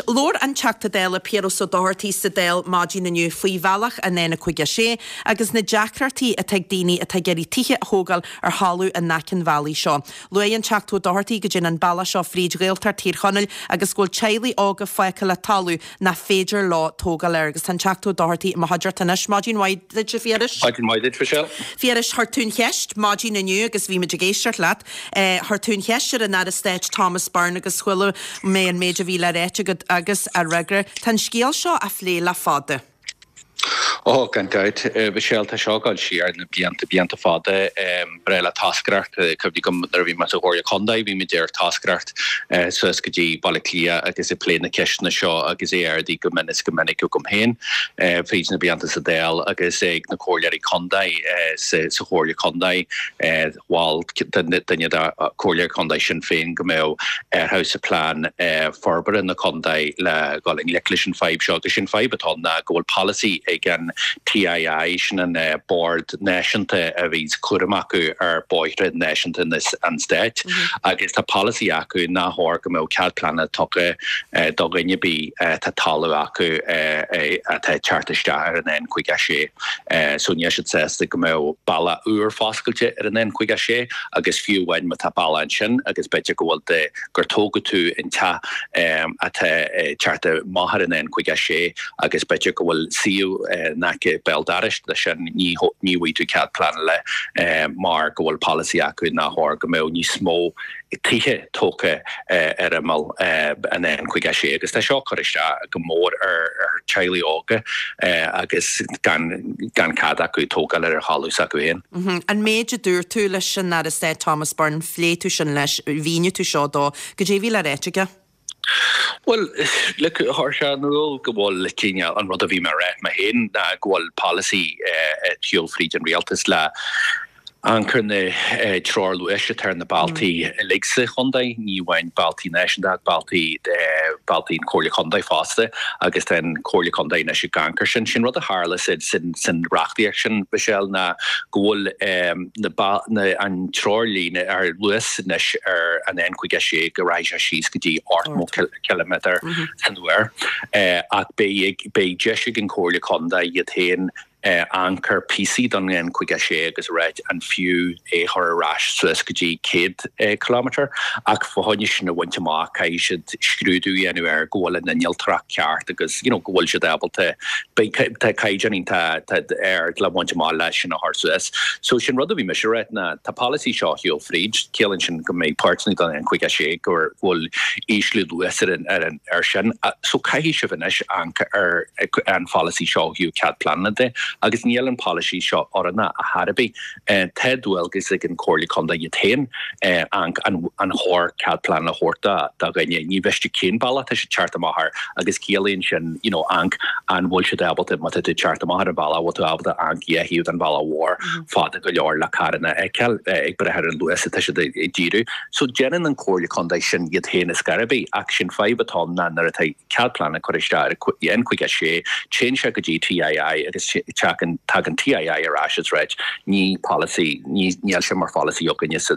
Labhair an Teachta Dála Piaras Ó Dochartaigh sa Dáil maidin inniu faoi bhealach an N56 agus na deacrachtaí atá ag daoine atá ag iarraidh tithe a thógáil ar thalamh in aice an bhealaigh seo. Luaigh an Teachta Ó Dochartaigh go dtéann an bealach seo fríd Ghaeltacht Thír Chonaill agus go bhfuil teaghlaigh óga fágtha le talamh nach féidir leo tógáil air. Agus tá an Teachta Ó Dochartaigh i mo chuideachta anois. Maidin mhaith duit, a Phiarais. Maidin mhaith duit, Michelle. Phiarais, chuir tú an cheist maidin inniu agus bhí muid ag éisteacht leat. Chuir tú an cheist ar an Aire Stáit Thomas Byrne agus chuala mé an méid a bhí le ráit agat agus a fhreagra. Tá an scéal seo á phlé le fada. Ó, gan dabht, Michelle, tá seo ag dul siar na blianta, blianta fada. Breá le toscaireacht, cuimhní agam nuair a bhí mé sa Chomhairle Contae, bhí muid ar toscaireacht suas go dtí Baile Átha Cliath agus ag plé na ceisteanna seo agus é ardaithe go mion is go minic agam féin fríd na blianta sa Dáil agus ag na comhairleoirí contae sa Chomhairle Contae. Mhol duine de Chomhairleoirí Contae Shinn Féin go mbeadh athrú sa plean forbartha na contae le dhul i ngleic leis an fadhb seo agus sin fadhb atá ann ná go bhfuil polasaí ag an TII, sin an bord náisiúnta a bhíonns cúram acu ar bóithre náisiúnta an stáit agus tá polasaí acu nach chóir go mbeadh cead pleanála tugtha do dhuine ar bith atá talamh acu atá ag teacht isteach ar an N56. So níl siad sásta go mbeadh bealach úr foscailte ar an N56 agus fiú amháin má tá bealach ansin agus b'fhéidir go bhfuil de gur tógadh tú an teach atá ag teacht amach ar an N56 agus b'fhéidir go bhfuil suíomh in aice béal dorais leis sin ní ní bhfaighidh tú cead pleanála mar go bhfuil polasaí acu nach chóir go mbeadh níos mó tithe tógtha ar imeall an N56 agus tá seo ag cur isteach go mór ar teaghlaigh óga agus gan gan cead acu tógáil ar an thalamh s'acu féin. An méid a dúirt tú leis an Aire Stáit Thomas Byrne, phléigh tú sin leis, mhínigh tú seo dó, goidé a bhí le ráit aige? Bhuel, look, chuir sé in iúl go bhfuil cineál, an rud a bhí mé a rá mé féin ná go bhfuil polasaí ag siúl fríd an rialtas le amharc ar na treoir luais atá ar na bealtaí uilig sa chontae, ní amháin bealtaí náisiúnta ach bealtaí bealtaí an Chomhairle Contae fosta agus tá an Chomhairle Contae anois ag amharc air sin. Sin rud a tharla san reachtaíocht sin, Michelle, ná go bhfuil na an treoirlíne ar luas anois ar an N56 go rachaidh sé síos go dtí 80 ciliméadar san uair ach beidh beidh deis ag an Chomhairle Contae iad féin amharc ar píosaí den N56 agus a ráit an fiú é chur ar ais suas go dtí 100 ciliméadar ach fá choinne sin a bhaint amach caithfidh siad scrúdú a dhéanamh air go bhfuil an innealtóireacht ceart agus you know go bhfuil siad ábalta beidh tá caighdeán iontach ard le bhaint amach leis sin a chur suas. So sin rud a bhí mise a ráit ná tá polasaí seo ag siúl fríd, ciallaíonn sin go mbeidh páirteanna den N56 go bhfuil ísliú luas ar an ar an ar sin. So caithfidh sibh anois amharc ar an pholasaí seo ó thaobh cead pleanála de agus níl an polasaí seo oiriúnach ar chor ar bith. Tá dualgas ag an Chomhairle Contae iad féin amharc an chóir cead pleanála a thabhairt do dhuine. Ní mhiste cén bealach tá siad teacht amach air agus ciallaíonn sin you know amharc an bhfuil siad ábalta má tá tú teacht amach ar an bhealach bhfuil tú ábalta amharc dhá thaobh den bhealach mhór fada go leor le carranna a fheiceáil ag brath ar an luas atá siad ag díriú. So déanann an Chomhairle Contae sin iad féin ar scor ar bith ach sin fadhb atá ann ná nuair atá cead pleanála curtha isteach ar an N56, téann sé go dtí TII agus tagann tagann TII ar ais is ráit ní polasaí, ní níl sé mar pholasaí againne sa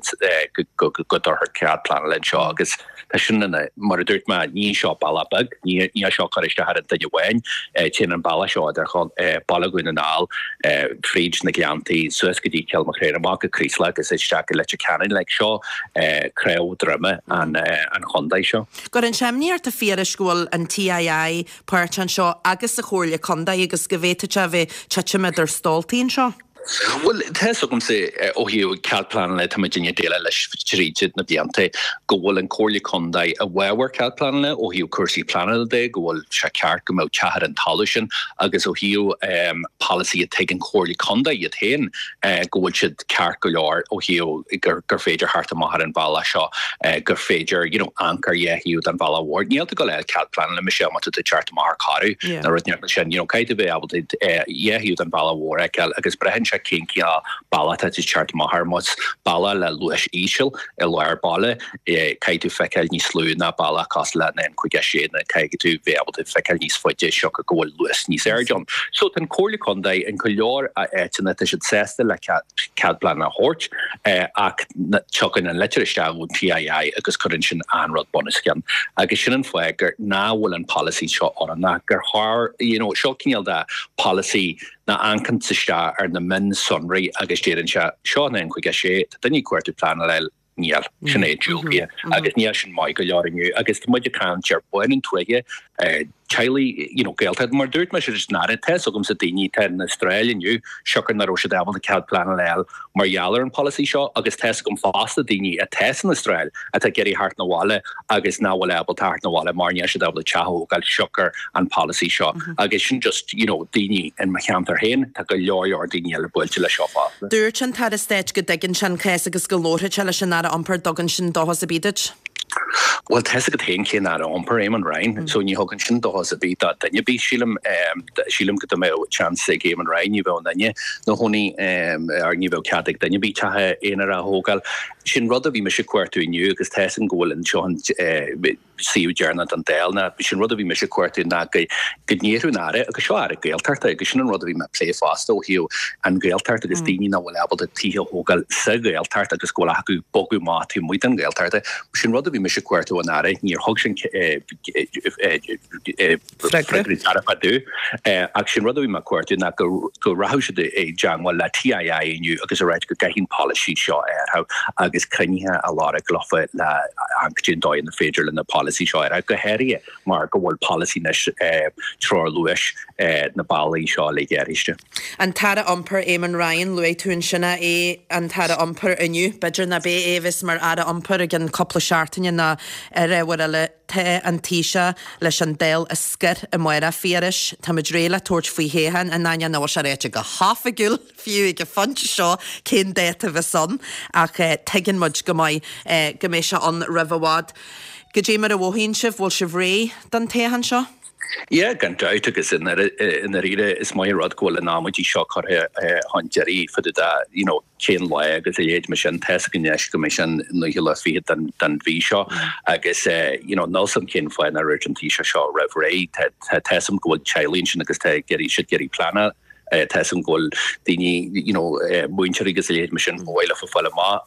go go go dtabharfar cead pleanála anseo agus tá sin ina mar a dúirt mé ní seo bealach beag, ní níl seo ag cur isteach ar an duine amháin, téann an bealach seo idir Baile Dhún na nGall fríd na Gleanntaí suas go dtí Cill Mochréire amach go Creeslough agus isteach go Leitir Ceanainn like seo cnámh droime an chontae seo. Cuireann sé imní ort a Phiarais go bhfuil an TII páirteach anseo agus an Chomhairle Contae agus go bhféadfadh sé a bheith titim idir stóltaí anseo. Bhuel, tá fhios agamsa ó thaobh cead pleanála, tá muidinne ag déileáil leis tríd na blianta, go bhfuil an Comhairle Contae i bhfabhar cead pleanála ó thaobh cúrsaí pleanála de, go bhfuil sé ceart go mbeadh teach ar an talamh sin agus ó thaobh polasaí atá ag an Chomhairle Contae iad féin go bhfuil siad ceart go leor ó thaobh gur gur féidir theacht amach ar an bhealach seo, gur féidir you know amharc ar dhá thaobh den bhealach mhór. Níl tú ag gabháil a fháil cead pleanála Michelle má tá tú ag teacht amach ar Carú nó rud mar sin, you know caithfidh tú bheith ábalta dhá thaobh den bhealach mhór a fheiceáil agus braitheann. sé cén cineál bealach atá tú ag teacht amach air. Más bealach le luas íseal i lár baile, caithfidh tú feiceáil níos lú ná bealach cosúil le an N56 nó caithfidh tú bheith ábalta feiceáil níos faide siocair go bhfuil luas níos airde ann. So tá an Comhairle Contae in go leor áiteanna tá siad sásta le cead pleanála a thabhairt ach tiocfaidh an litir isteach ón TII agus cuireann sin an rud bunoscionn agus sin an fáth gur nach bhfuil an polasaí seo oiriúnach gur chóir you know seo cineál de polasaí nach amharcann isteach ar na mionsonraí agus deireann sé seo an N56 tá duine ag cuartú pleanáil Níl. Sin é, diúltaithe. Agus níl sin maith go leor inniu. Agus tá muid ag caint ar bhunú tuaithe, teaghlaigh, you know, Gaeltacht. Mar dúirt mise leis an Aire, tá fhios agamsa daoine atá in Astráil inniu, siocair nach raibh siad ábalta cead pleanála a fháil mar gheall ar an polasaí seo agus tá fhios agam fosta daoine atá san Astráil atá ag iarraidh theacht 'na bhaile agus nach bhfuil ábalta theacht 'na bhaile mar níl siad ábalta teach a thógáil siocair an polasaí seo. Agus sin just, you know, daoine in mo cheantar féin, tá go leor leor daoine eile buailte leis seo fosta. Dúirt an tAire Stáit go dtuigeann sé an cás agus go labharfaidh sé leis an Aire Iompair, dtugann sin dóchas ar bith duit? Bhuel, tá's agat féin cén Aire Iompair, Eamon Ryan, so ní thugann sin dóchas ar bith do duine ar bith, sílim. Sílim go dá mbeadh chance ag Eamon Ryan ní bheadh aon duine 'na chónaí, or ní bheadh cead ag duine ar bith teach aonair a thógáil. Sin rud a bhí mise ag cuartú inniu agus tá's agam go bhfuil anseo an suíomh deireanach don Dáil ná sin rud a bhí mise ag cuartú ná go ndéarfadh an Aire, agus seo Aire Gaeltachta agus sin an rud a bhí mé ag plé fosta ó thaobh an Ghaeltacht agus daoine nach bhfuil ábalta tithe a thógáil sa Ghaeltacht agus go bhfuil acu bogadh amach taobh amuigh den Ghaeltacht. Sin rud a bhí mise ag cuartú ón Aire, níor thug sin Freagra dearfach domh. Ach sin rud a bhí mé ag cuartú ná go rachadh siad i dteangmháil le TII inniu agus a ráit go gcaithfidh an polasaí seo a athrú agus cruinnithe a lorg leofa le amharc cén dóigh ina féidir linn an polasaí seo a athrú, go háirithe mar go bhfuil polasaí anois treoir luais na bealaí seo uilig athraithe. An tAire Iompair Eamon Ryan, luaigh tú ansin é, an tAire Iompair inniu, b'fhéidir nach beidh é a bheas mar Aire Iompair i gceann cúpla seachtaine ná ar ábhar eile. Tá an Taoiseach leis an Dáil a scor amárach, a Phiarais. Táimid réidh le tabhairt faoi thoghchán, in ainneoin nach bhfuil sé ráite go hoifigiúil, fiú ag an phointe seo, cén dáta a bheas ann, ach tuigeann muid go maith go mbeidh sé ann roimh i bhfad. Goidé mar a mhothaíonn sibh, bhfuil sibh réidh don toghchán seo? Yeah, gan dabht, agus i ndáiríre is maith an rud go bhfuil an amaidí seo curtha chun deiridh fá dtaobh de, you know, cén lá agus a leithéid mar sin, tá's againn anois go mbeidh sé an naoú lá fichead den den mhí seo agus you know níl 's a'm cén fáth nár dhúirt an Taoiseach seo roimh ré, tá tá tá's a'm go bhfuil teaghlaigh ansin agus tá ag iarraidh siad ag iarraidh pleanáil, tá's a'm go bhfuil daoine you know múinteoirí agus a leithéid mar sin ba mhaith leofa fáil amach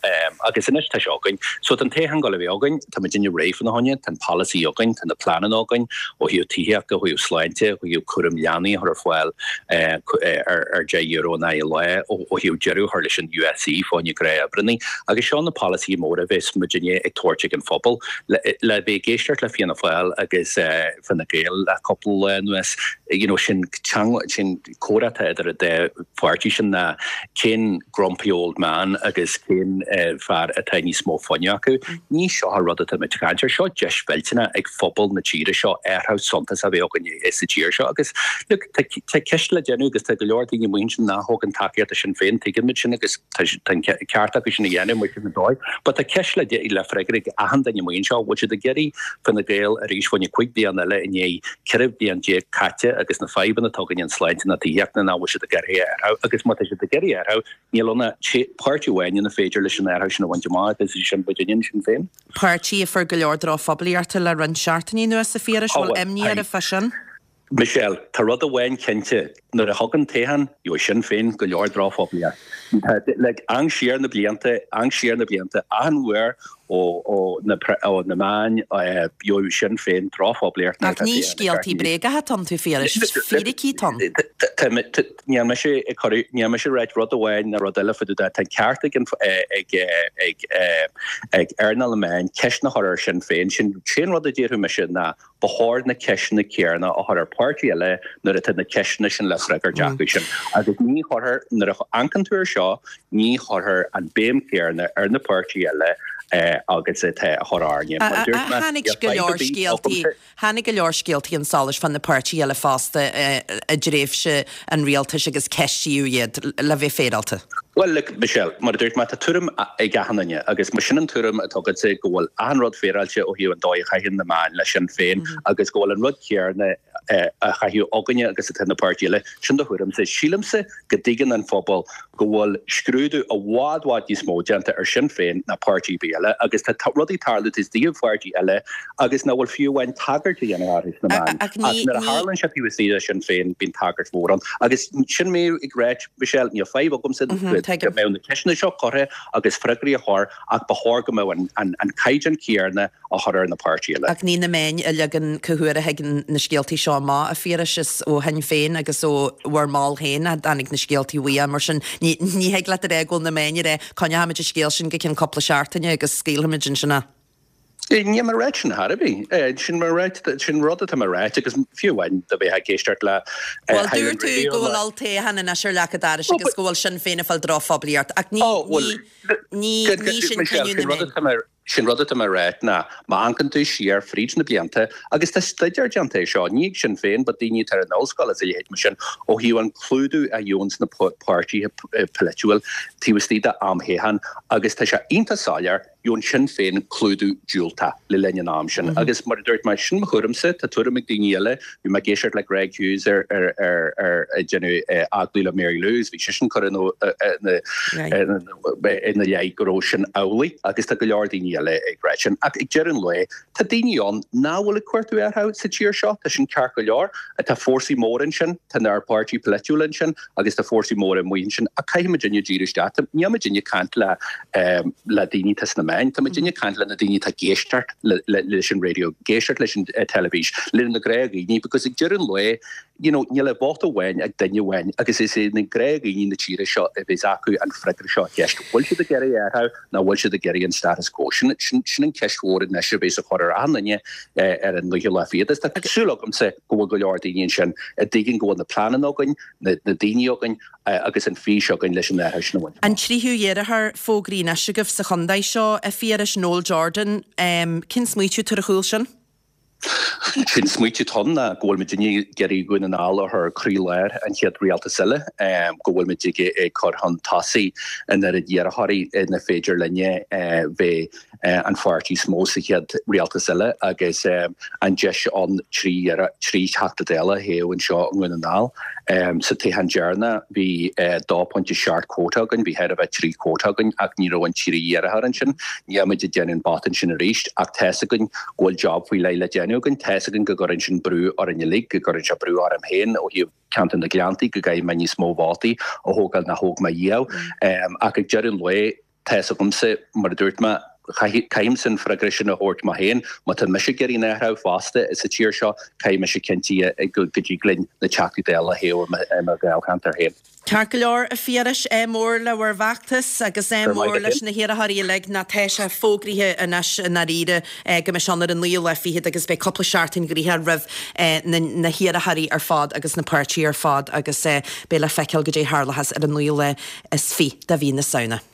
agus anois tá sé againn. So tá an toghchán ag gabháil a bheith againn, tá muidinne réidh fána choinne, tá an polasaí againn, tá na pleananna againn ó thaobh tithíochta, ó thaobh sláinte, ó thaobh cúram leanaí a chur ar fáil ar €10 in aghaidh an lae, ó thaobh deireadh a chur leis an USC fá choinne gnáthoibreannaí. Agus seo na polasaithe móra a bheas muidinne ag tabhairt ag an phobal. Le bheith ag éisteacht le Fianna Fáil agus Fine Gael le cúpla lá anuas, you know, sin teanga, sin comhrá atá idir an dá pháirtí sin ná cén grumpy old man agus cén fear atá níos mó fuinnimh acu. Ní seo an rud atá muid ag caint air. Seo deis mhillteanach ag phobal na tíre seo athrú suntasach a bheith againn sa tír seo agus look tá ceist le déanamh agus tá go leor daoine amuigh ansin nach thugann tacaíocht do Sinn Féin, tuigeann muid sin agus tá an ceart acu sin a dhéanamh mar sin an dóigh. But tá ceist le le freagairt ag achan duine amuigh anseo, bhfuil siad ag iarraidh Fine Gael arís fá choinne 5 bliana eile i ndiaidh 14 bliain caite agus na fadhbanna atá againn an sláinte na tithíochta nach bhfuil siad ag iarraidh athrú agus má tá siad ag iarraidh athrú níl ann ach páirtí amháin ina féidir leis an athrú sin a bhaint amach agus is sin muidinne Sinn Féin. Páirtí a fuair go leor drochphoiblíochta le roinnt seachtainí anuas, a Phiarais, bhfuil imní oraibh fá sin? Michelle, Tá rud amháin cinnte, nuair a thagann toghchán, gheobhaidh Sinn Féin go leor drochphoiblíocht. Like, amharc siar na blianta, amharc siar na blianta, achan uair ó, ó na, ó na meáin, gheobhaidh Sinn Féin drochphoiblíocht nuair Ach atá ní toghchán ag teacht scéaltaí bréagacha atá iontu, a Phiarais, fíricí atá ann. Tá, tá, níl mise ag cur, níl mise ag ráit rud amháin ná rud eile fá dtaobh de. Tá an ceart ag an, ag, ag, ag earnáil na meáin ceist a chur ar Sinn Féin. Sin, sin rud a déarfadh mise ná Ba chóir na ceisteanna céanna a chur ar pháirtí eile nuair atá na ceisteanna sin le freagairt acu sin. Agus ní chuirfear, nuair a amharcann tú air seo, ní chuirfear an béim chéanna ar na páirtí eile agus atá á chur orainne. Mar a dúirt mé, Tháinig go leor scéaltaí, tháinig go leor scéaltaí chun solais fá na páirtithe eile fosta i dtréimhse an rialtais agus ceistíodh iad, le bheith féaráilte. Bhuel, look, Michelle, mar a dúirt mé, tá tuairim ag achan duine agus má sin an tuairim atá agatsa go bhfuil achan rud féaráilte ó thaobh an dóigh a chaitheann na meáin le Sinn Féin agus go bhfuil an rud céanna. á chaitheamh againne agus atá na páirtithe eile. Sin do thuairimse. Sílimse go dtuigeann an phobal go bhfuil scrúdú i bhfad bhfad níos mó déanta ar Sinn Féin ná páirtí ar bith eile agus tá rudaí ag tarlú taobh istigh de pháirtí eile agus nach bhfuil fiú amháin tagairt á dhéanamh orthu sna meáin. Ach nuair a tharlann sé taobh istigh de Sinn Féin bíonn tagairt mhór ann. Agus sin mé ag ráit, Michelle, níl fadhb agamsa go mbeadh na ceisteanna seo curtha agus freagraí á chur ach ba chóir go mbeadh an caighdeán céanna á chur ar na páirtithe eile. Ach ní na meáin a leagann cá huair a thigeann na scéaltaí seo amach, a Phiarais, is ó Shinn Féin agus ó bhur mball féin a dtáinig na scéaltaí uaidh, mar sin ní thig leat a rá go bhfuil na meáin ag rá coinneochaimid an scéal sin go ceann cúpla seachtaine agus scaoilfimid ansin é. Níl mé ag ráit sin ar chor ar bith. Sin mé ag ráit, sin rud atá mé ag ráit agus fiú amháin dá mbeifeá ag éisteacht le Bhuel dúirt tú go bhfuil olltoghchán anois ar leac an dorais agus go bhfuil Sinn Féin ag fáil drochphoiblíocht ach ní, ní, ní sin cinneadh na meán. Sin rud atá mé a ráit ná, má amharcann tú siar fríd na blianta, agus tá staidéar déanta air seo, ní ag Sinn Féin, but daoine atá ar an ollscoil is a leithéid mar sin, ó thaobh an clúdú a gheobhanns na páirtithe polaitiúil taobh istigh de am thoghcháin, agus tá sé iontach soiléir, gheobhann Sinn Féin clúdú diúltach le linn an am sin. Agus mar a dúirt mé, sin mo thuairimse, tá tuairim ag daoine eile, bhí mé ag éisteacht le Greg Hughes ar ar ar ag déanamh agallamh le Mary Lou agus bhí seisean ag cur ina ina leith go raibh sin amhlaidh agus tá go leor daoine eile ag rá sin. Ach ag deireadh an lae, tá daoine ann nach bhfuil ag cuartú athrú sa tír seo, tá sin ceart go leor. Tá fórsaí móra ansin, tá ár bpáirtí polaitiúil ansin agus tá fórsaí móra amuigh ansin ach caithfidh muidinne díriú isteach. Níl muidinne ag caint le le daoine atá sna meáin, tá muidinne ag caint le na daoine atá ag éisteacht leis an raidió, ag éisteacht leis an teilifís, le na gnáthdhaoine because ag deireadh an lae, you know, níl ach vóta amháin ag duine amháin agus is é na gnáthdhaoine na tíre seo a bheas acu an freagra seo ar cheist, bhfuil siad ag iarraidh athrú nó bhfuil siad ag iarraidh an status quo? Sin, sin, sin an ceist mhór anois a bheas á chur ar achan duine ar an naoú lá fichead. Is tá súil agamsa go bhfuil go leor daoine ansin a dtuigeann go bhfuil na pleananna againn, na, na daoine againn agus an fís againn leis an athrú sin a bhaint amach. An tríú iarrthóir fógraithe anois agaibh sa chontae seo, a Phiarais, Noel Jordan. Cén smaoitiú atá ar a chúl sin? Sé'n smaoitiú atá ann ná go bhfuil muidinne ag iarraidh Dhún na nGall a chur croí-lár an chéad rialtas eile, go bhfuil muid ag cur chun tosaigh an oiread iarrthóirí ina féidir linne bheith an pháirtí is mó sa chéad rialtas eile agus an deis ann 3 Theachta Dála a thoghadh anseo i nDún na nGall. Sa toghchán deireanach bhí 2.7 quota againn, bhí chóir a bheith 3 quota againn ach ní raibh an tríú iarrthóir ansin. Níl muid ag déanamh an botún sin arís ach tá's againn go bhfuil job faoi leith le déanamh againn. Tá's againn go gcuireann sin brú orainn uilig, go gcuireann sé brú orm féin ó thaobh ceantar na Gleanntaí go gcaithfidh mé níos mó vótaí a thógáil ná thóg mé riamh. Ach ag deireadh an lae, Tá's agamsa, mar a dúirt mé, caithfimse an freagra sin a thabhairt mé féin. Má tá mise ag iarraidh an athrú fosta sa tír seo, caithfidh mise cinntiú go dtig linn na Teachtaí Dála a thoghadh i mo dháilcheantar féin. Ceart go leor, a Phiarais, ádh mór le bhur bhfeachtas agus ádh mór leis na hiarrthóirí uilig. Ná tá sé fógraithe anois i ndáiríre go mbeidh sé ann ar an naoú lá fichead agus beidh cúpla seachtain gnoitheach roimh na hiarrthóirí ar fad agus na páirtithe ar fad agus beidh le feiceáil goidé a tharlóchas ar an naoú lá is fiche de mhí na Samhna.